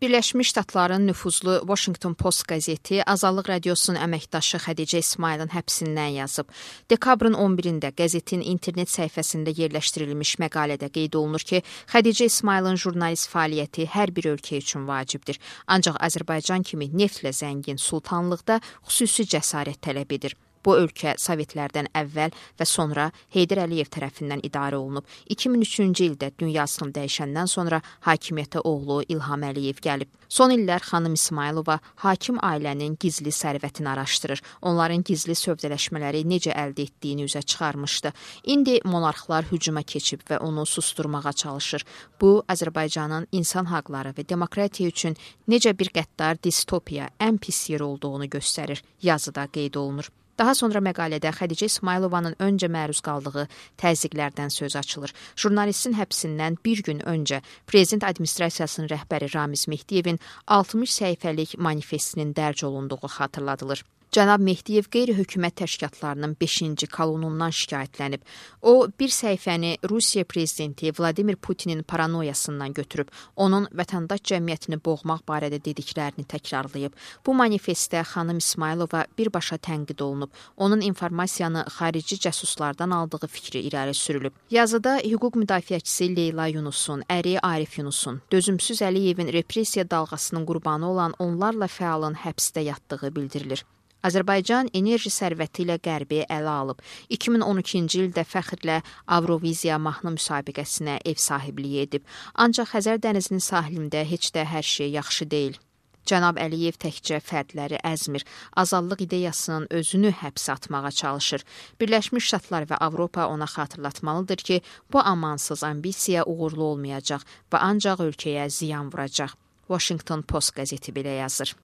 Birləşmiş Ştatların nüfuzlu Washington Post qəzeti Azadlıq Radiosunun əməkdaşı Xədicə İsmailin həbsindən yazıb. Dekabrın 11-də qəzetin internet səhifəsində yerləşdirilmiş məqalədə qeyd olunur ki, Xədicə İsmailin jurnalist fəaliyyəti hər bir ölkə üçün vacibdir. Ancaq Azərbaycan kimi neftlə zəngin sultanlıqda xüsusi cəsarət tələb edir. Bu ölkə Sovetlərdən əvvəl və sonra Heydər Əliyev tərəfindən idarə olunub. 2003-cü ildə dünyasını dəyişəndən sonra hakimiyyətə oğlu İlham Əliyev gəlib. Son illər xanım İsmailova hakim ailənin gizli sərvətini araşdırır. Onların gizli sövdələşmələri necə əldə etdiyini üzə çıxarmışdı. İndi monarxlar hücuma keçib və onu susturmağa çalışır. Bu, Azərbaycanın insan haqları və demokratiya üçün necə bir qəddar distopiya, ən pis yer olduğunu göstərir. Yazıda qeyd olunur. Daha sonra məqalədə Xədicə İsmailovanın öncə məruz qaldığı təzyiqlərdən söz açılır. Jurnalistin həbsindən bir gün öncə Prezident Administrasiyasının rəhbəri Ramiz Mehdiyevin 60 səhifəlik manifestinin dərc olunduğu xatırladılır. Cənab Mehdiyev qeyri-hökumət təşkilatlarının 5-ci kolonundan şikayətlənib. O, bir səhifəni Rusiya prezidenti Vladimir Putinin paranoyasından götürüb, onun vətəndaş cəmiyyətini boğmaq barədə dediklərini təkrarlayıb. Bu manifestdə xanım İsmailova birbaşa tənqid olunub. Onun informasiyanı xarici cəsuslardan aldığı fikri irəli sürülüb. Yazıda hüquq müdafiəçisi Leyla Yunusun, əri Arif Yunusun, dözümsüz Əliyevin repressiya dalğasının qurbanı olan onlarla fəalın həbsdə yatdığı bildirilir. Azərbaycan enerji sərvəti ilə qərbi ələ alıb. 2012-ci ildə fəxrlə Avroviziya mahnı müsabiqəsinə ev sahibliyi edib. Ancaq Xəzər dənizinin sahilində heç də hər şey yaxşı deyil. Cənab Əliyev təkcə fərdləri əzmir, azadlıq ideyasının özünü həbsə atmağa çalışır. Birləşmiş Ştatlar və Avropa ona xatırlatmalıdır ki, bu amansız ambisiya uğurlu olmayacaq və ancaq ölkəyə ziyan vuracaq. Washington Post qəzeti belə yazır.